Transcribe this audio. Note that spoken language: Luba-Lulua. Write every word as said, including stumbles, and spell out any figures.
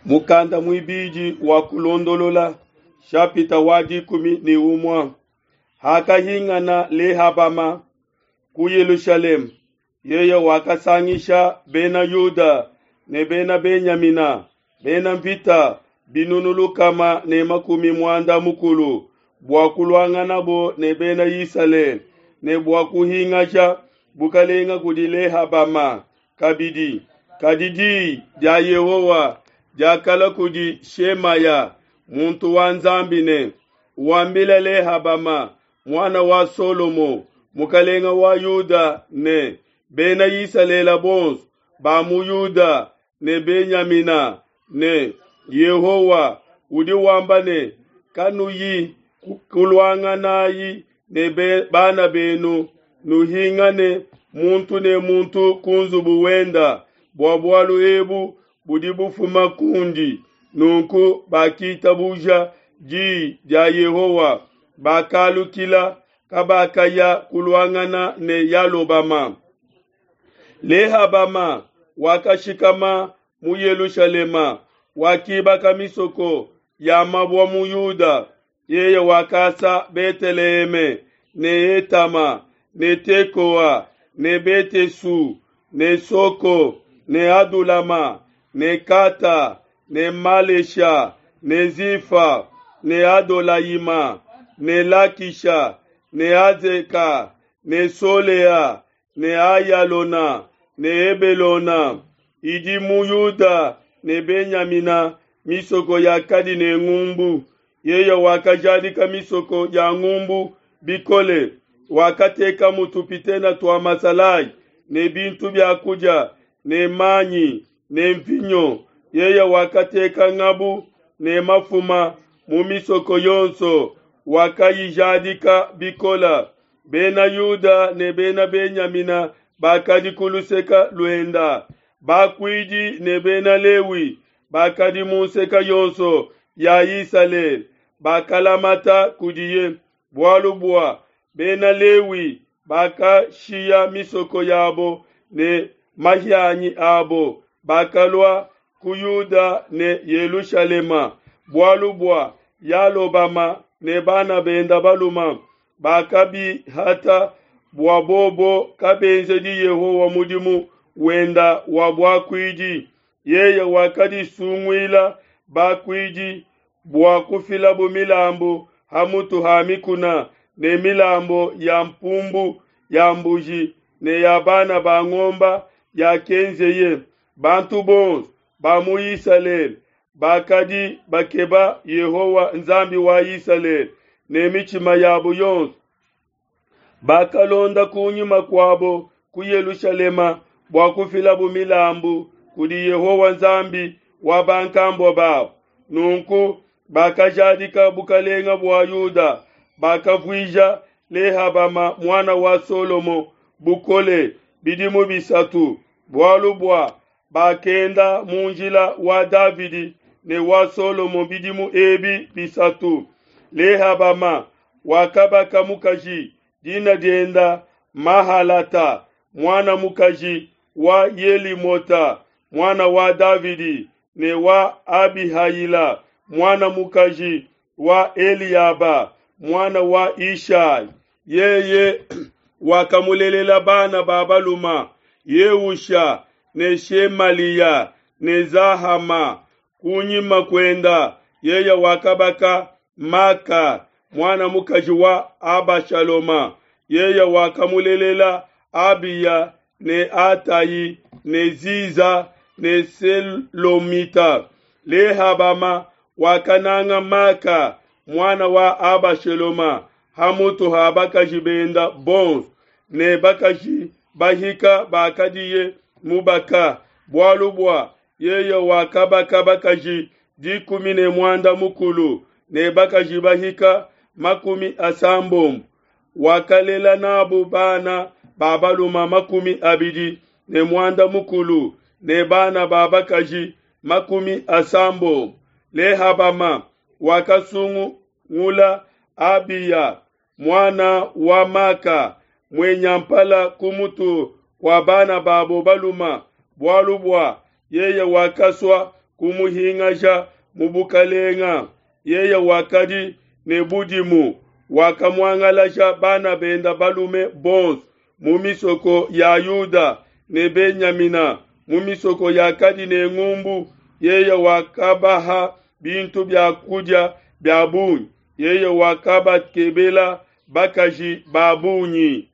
Mukanda muibidi wa Kulondolola, shapita wa dikumi ne umue. Hakahingana Lehabama ku Yelushalema, yeye wakasangisha Bena Yuda ne Bena Benyamina, bena nvita binunu lukama ne makumi muanda mukulu, bua kuluanganabo ne Bena Isalele ne bua kuhingasha bukelenge kudi Lehabama kabidi. Kadi di dia Yehowa diakalua kudi Shemaya muntu wa Nzambi ne, Wambile Lehabama, muana wa Solomo, mukelenge wa Yuda ne Bena Isalele bonso ba mu Yuda ne Benyamina ne, Yehowa udi wamba ne, Kanuyi kuluanganayi ne bana benu, nuhingane muntu ne muntu ku nzubu wenda, bua bualu ebu budi bufuma kundi. Nunku bakitabuja di dia Yehowa, bakalukila, kabakaya kuluangana ne Yalobama. Lehabama wakashikama mu Yelushalema, wakibaka misoko ya mabue mu Yuda. Yeye wakasa Beteleheme ne Etama ne Tekoa ne Bete-su ne Soko ne Adulama ne Kata ne Malesha ne Zifa ne Adolayima ne Lakisha ne Azeka ne Solea ne Ayalona ne Hebelona idi mu Yuda ne Benyamina, misoko yakadi ne ngumbu. Yeye wakajadika misoko ya ngumbu bikole, wakatekamu tupitene tua masalayi ne bintu bia kudia ne manyi ne nvinyo. Yeye wakateka ngabu ne mafuma mu misoko yonso, wakayijadika bikole. Bena Yuda ne Bena Benyamina bakadi ku luseke luenda, bakuidi ne Bena Lewi bakadi mu nseke yonso ya Isalele bakalamata kudiye, bualu bua Bena Lewi bakashiya misoko yabo ne mahianyi abo, bakalua ku Yuda ne Yelushalema, bualu bua Yalobama ne bana benda baluma bakabihata bua bobo kabenzedi Yehowa mudimu wenda wa buakuidi. Yeye wakadisunguila bakuidi bua kufilabu milambu ha mutu ha mikuna ne milambu ya mpumbu ya mbuji ne ya bana ba ngombe yakenzeye. Bantu bonso ba mu Isalele bakadi bakeba Yehowa Nzambi wa Isalele ne mitshima yabo yonso. Bakalonda kunyima kuabo ku Yelushalema bua kufilabu milambu kudi Yehowa Nzambi wa bankambua babo. Nunku bakajadika bukelenge bua Yuda, bakavuija Lehabama muana wa Solomo bukole bidimu bisatu, bualu bua bakenda mu njila wa Davidi ne wa Solomo bidimu ebi bisatu. Lehabama wakabaka mukaji, dina dienda Mahalata, muana mukaji wa Yelimota, muana wa Davidi ne wa Abihayila, muana mukaji wa Eliaba, muana wa Ishai. Yeye wakamulelela bana ba baluma Yeusha ne Shemaliya ne Zahama. Kunyima kuenda yeye wakabaka Maka, muana mukaji wa Abashaloma. Yeye wakamulelela Abiya ne Atayi ne Ziza ne Selomita. Lehabama wakananga Maka, muana wa Abashaloma, hamutu ha bakaji benda bonso ne bakaji bahika bakadiye mubaka, bualu bua yeye wakabaka bakaji dikumi ne muanda mukulu ne bakaji bahika makumi asambombo. Wakalela nabo bana ba baluma makumi abidi ne muanda mukulu ne bana ba bakaji makumi asambombo. Lehabama wakasungula Abiya muana wa Maka mwenyampala ku mutu kua bana babo baluma, bualu bua yeye wakasua kumuhingasha mu bukalenga. Yeye wakadi ne budimu, wakamuangalasha bana benda balume bonso mu misoko ya Yuda ne Benyamina, mu misoko yakadi ne ngumbu. Yeye wakabaha bintu bia kudia bia bungi, yeye wakabakebela bakaji ba bungi.